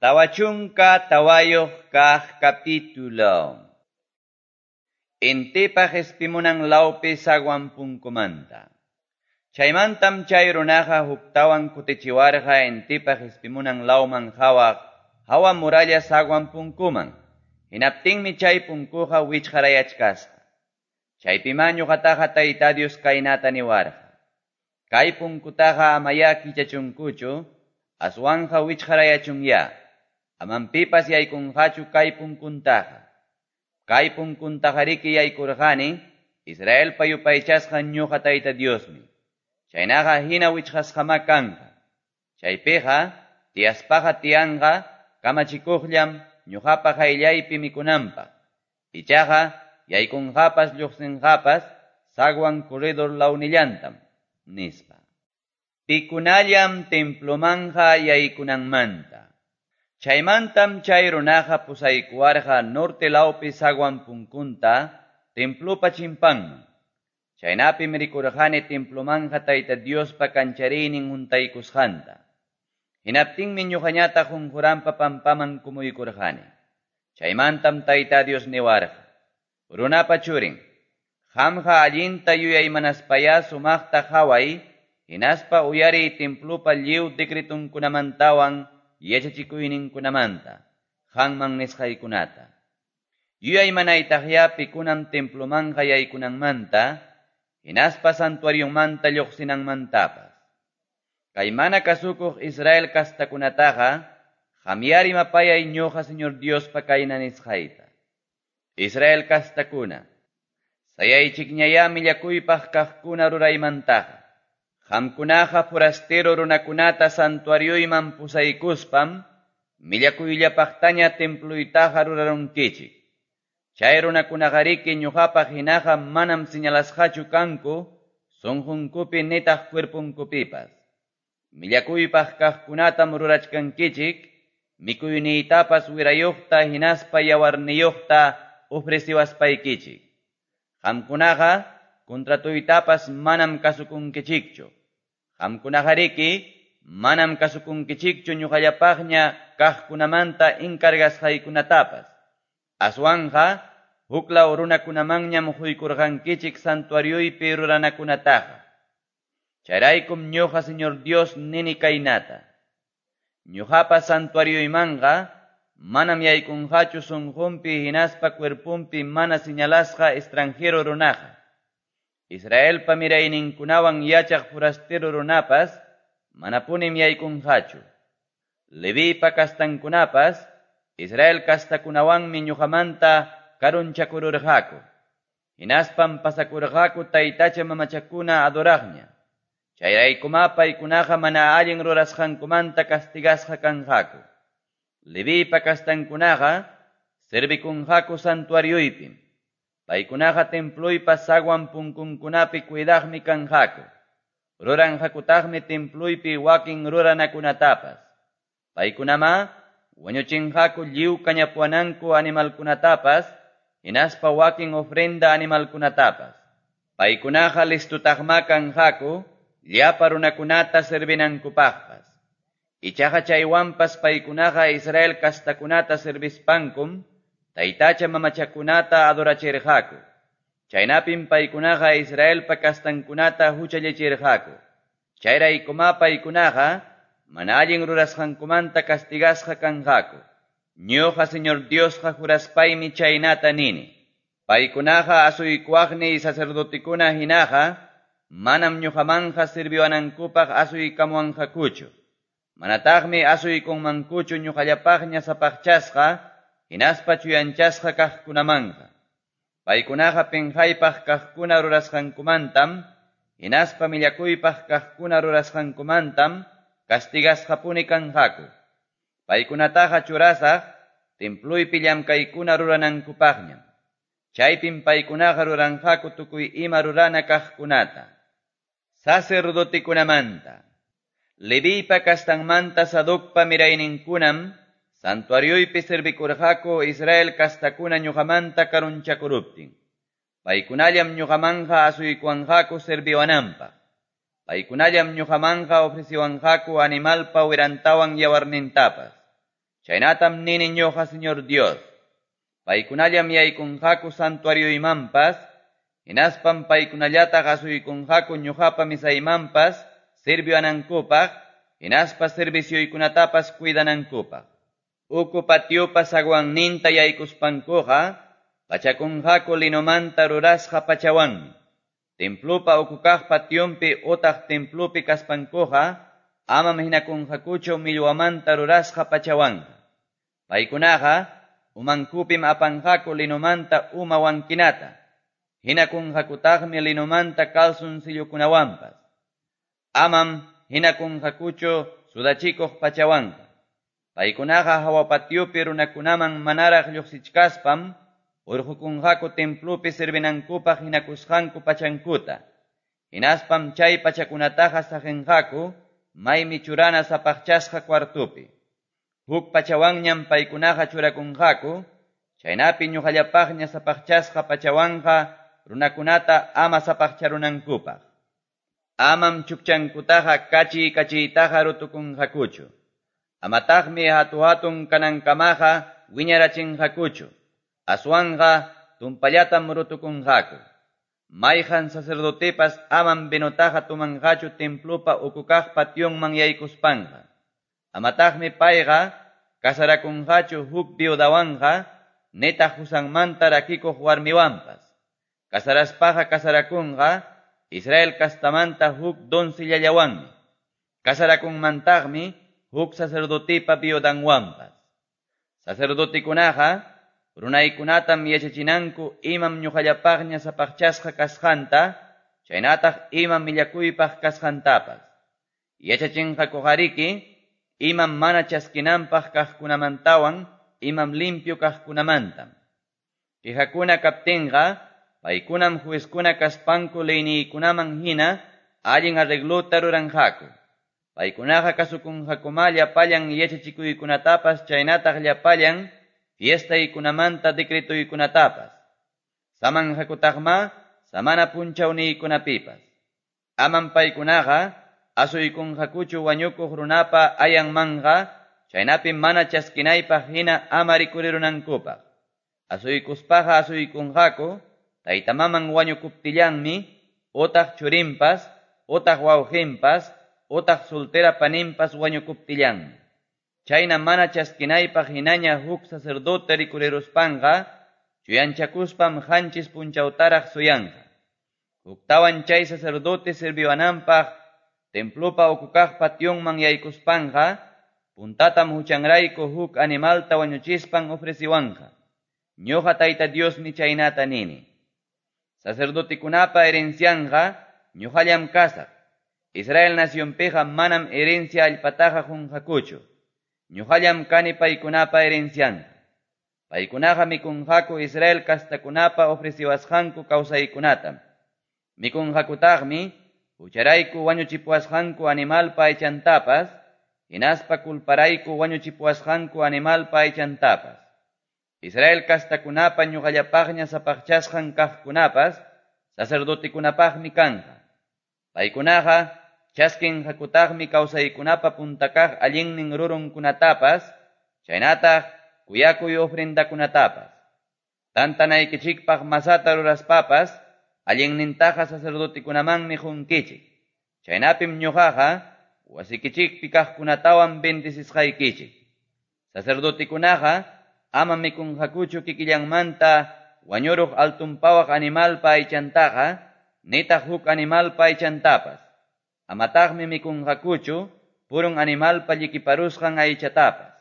44 kaq capítulo. Intipa qespimunan lawpi zaguan punkumanta. Chaymantam chay runaqa huktawan kutichiwarqa intipa qespimunan lawman qhawaq hawa muralla zaguan punkuman. Hinaptinmi chay punkuqa wichqarayachkasqa. Chaypimá ñuqataqa Tayta Dios kaynata niwarqa. Kay punkutaqa amayá kichachunkuchu, aswanqa wichqarayachunyá. Amam pipas yaykunqachu kay punkuntaqa. Kay punkuntaqariki yaykurqani, Israelpa yupaychasqan ñuqa Tayta Diosmi. Chaynaqa hina wichqasqamá kanqa. Chaypiqa tiyaspaqa tiyanqa kamachikuqllam ñuqapa qayllaypi mikunanpaq. Ichaqa yaykunqapas lluqsinqapas zaguan corredor lawnillantam, nispa. Pikunallam templomanqa yaykunanmanta. Chaymantam chay runaqa pusaykuwarqa norte lawpi zaguan punkunta templopa chimpanman. Chaynapim rikurqani templomanqa Tayta Diospa kanchariynin huntaykusqanta. Hinaptinmi ñuqañataq qunquranpa pampaman kumuykurqani. Chaymantam Tayta Dios niwarqa: Runapa churin, qamqa allinta yuyaymanaspayá sumaqta qhaway, hinaspa uyariy templopa lliw decretunkunamantawan yachachikuyninkunamanta, qanman nisqaykunata. Yuyaymanaytaqyá pikunam templomanqa yaykunanmanta, hinaspa santuarionmanta lluqsinanmantapas. Kay mana kasukuq Israel kastakunataqa, qamyá rimapayay ñuqa Señor Diospa kayna nisqayta. Israel kastakuna, sayaychikñayá millakuypaq kaqkuna ruraymantaqa. Qamkunaqa forastero runakunata santuarioyman pusaykuspam, millakuyllapaqtaña temploytaqa rurarunkichik. Chay runakunaqariki ñuqapaq hinaqa manam señalasqachu kanku, sunqunkupi nitaq cuerpunkupipas. Millakuypaq kaqkunatam rurachkankichik, mikuyniytapas wirayuqta hinaspa yawarniyuqta ofreciwaspaykichik. Qamkunaqa contratuytapas manam kasukunkichikchu. Qamkunaqariki manam kasukunkichikchu ñuqallapaqña kaqkunamanta encargasqaykunatapas. Aswanqa huklaw runakunamanñam quykurqankichik santuarioypi ruranakunataqa. Chayraykum ñuqa Señor Dios nini kaynata. Ñuqapa santuarioymanqa manam yaykunqachu sunqunpi hinaspa cuerpunpi mana señalasqa extranjero runaqa. Israelpa mirayninkunawan yachaq forastero runapas manapunim yaykunqachu. Levipa kastankunapas Israel kastakunawanmi ñuqamanta karunchakururqaku. Hinaspam pasakurqaku taytacha mamachakuna adoraqña. Chayraykumá paykunaqa mana allin rurasqankumanta castigasqa kanqaku. Levipa kastankunaqa servikunqaku santuarioypim. Paykunaqa temploypa zaguan punkunkunapi cuidaqmi kanqaku. Ruranqakutaqmi temploypi wakin ruranakunatapas. Paykunamá wañuchinqaku lliw kañapuwananku animalkunatapas, hinaspa wakin ofrenda animalkunatapas. Paykunaqa listutaqmá kanqaku llapa runakunata servinankupaqpas. Ichaqa chaywanpas paykunaqa Israel kastakunata servispankum, taytacha mamachakunata adorachirqaku. Chaynapim paykunaqa Israelpa kastankunata huchallichirqaku. Chayraykumá paykunaqa mana allin rurasqankumanta castigasqa kanqaku. Ñuqa Señor Diosqa juraspaymi chaynata nini. Paykunaqa asuykuwaqniy sacerdotekuna hinaqa manam ñuqamanqa sirviwanankupaq asuykamuwanqakuchu. Manataqmi asuykunmankuchu ñuqallapaqña sapaqchasqa hinaspa chuyanchasqa kaqkunamanqa. Paykunaqa pinqaypaq kaqkuna rurasqankumantam, hinaspa millakuypaq kaqkuna rurasqankumantam castigasqapuni kanqaku. Paykunataqa churasaq temploypi llamkaykuna ruranankupaqñam. Chaypim paykunaqa ruranqaku tukuy ima rurana kaqkunata. Sacerdotekunamanta. Leviypa kastanmanta Sadocpa mirayninkunam santuarioypi servikurqaku Israel kastakuna ñuqamanta karunchakuruptin. Paykunallam ñuqamanqa asuykuwanqaku serviwananpaq. Paykunallam ñuqamanqa ofreciwanqaku animalpa wirantawan yawarnintapas. Chaynatam nini ñuqa Señor Dios. Paykunallam yaykunqaku santuarioymanpas, hinaspam paykunallataq asuykunqaku ñuqapa mesaymanpas sirviwanankupaq, hinaspa servicioykunatapas cuidanankupaq. Uku patiopa zaguanninta yaykuspankuqa, pachakunqaku linomanta rurasqa pachawanmi. Templopa uku kaq pationpi utaq templopi kaspankuqa, amam hinakunqakuchu millwamanta rurasqa pachawanqa. Paykunaqa umankupim apanqaku linomanta uma wankinata, hinakunqakutaqmi linomanta calzoncillokunawanpas. Amam hinakunqakuchu sudachikuq pachawanqa. Paykunaqa hawa patiopi runakunaman manaraq lluqsichkaspam hurqukunqaku templopi servinankupaq hinakusqanku pachankuta. Hinaspam chay pachakunataqa saqinqaku maymi churana sapaqchasqa cuartopi. Huk pachawanñam paykunaqa churakunqaku, chaynapi ñuqallapaqña sapaqchasqa pachawanqa runakunata ama sapaqcharunankupaq. Amam chukchankutaqa kachiy kachiytaqa rutukunqakuchu. Amataqmi hatu-hatun kanankamaqa wiñarachinqakuchu. Aswanqa tumpallatam rutukunqaku. Mayqan sacerdotepas amam vinotaqa tumanqachu templopa uku kaq pationman yaykuspanqa. Amataqmi payqa casarakunqachu huk viudawanqa nitaq husanmanta rakikuq warmiwanpas. Casaraspaqa casarakunqa Israel castamanta huk doncillallawanmi. Casarakunmantaqmi huk sacerdotepa viudanwanpas. Sacerdotekunaqa runaykunatam yachachinanku imam ñuqallapaqña sapaqchasqa kasqanta, chaynataq imam millakuypaq kasqantapas. Yachachinqakuqariki imam mana chaskinanpaq kaqkunamantawan imam limpio kaqkunamantam. Quejakuna kaptinqa, paykunam juezkuna kaspanku leyniykunaman hina allin arreglota ruranqaku. Paykunaqa kasukunqakuma llapallan yachachikuykunatapas chaynataq llapallan fiestaykunamanta decretoykunatapas. Samanqakutaqma samana punchawniykunapipas. Amam paykunaqa asuykunqakuchu wañukuq runapa ayanmanqa, chaynapi mana chaskinaypaq hina ama rikurirunankupaq. Asuykuspaqa asuykunqaku taytamaman wañukuptillanmi, utaq churinpas, utaq wawqinpas, utaq soltera paninpas wañukuptillanmi. Chayna mana chaskinaypaq hinaña huk sacerdote rikuriruspanqa, chuyanchakuspam qanchis punchawtaraq suyanqa. Huktawan chay sacerdote sirviwananpaq templopa uku kaq pationman yaykuspanqa, puntatam huchanrayku huk animalta wañuchispan ofreciwanqa. Ñuqa Tayta Diosmi chaynata nini. Sacerdotekunapa herencianqa ñuqallam kasaq. Israel nacionpiqa manam herencia allpataqa qunqakuchu. Ñuqallam kani paykunapa herencianqa. Paykunaqa mikunqaku Israel kastakunapa ofreciwasqanku kawsaykunatam. Mikunqakutaqmi hucharayku wañuchipuwasqanku animalpa aychantapas, hinaspa culparayku wañuchipuwasqanku animalpa aychantapas. Israel kastakunapa ñuqallapaqña sapaqchasqan kaqkunapas sacerdotekunapaqmi kanqa. Paykunaqa chaskinqakutaqmi kawsaykunapa punta kaq allinnin rurunkunatapas, chaynataq kuyakuy ofrendakunatapas. Tantanaykichikpaq masata ruraspapas, allinnintaqa sacerdotekunamanmi qunkichik. Chaynapim ñuqaqa wasikichikpi kaqkunatawan bendecisqaykichik. Sacerdotekunaqa ama mikunqakuchu kikillanmanta wañuruq altunpawaq animalpa aychantaqa, nitaq huk animalpa aychantapas. Amataqmi mikunqakuchu purun animalpa llikiparusqan aychatapas.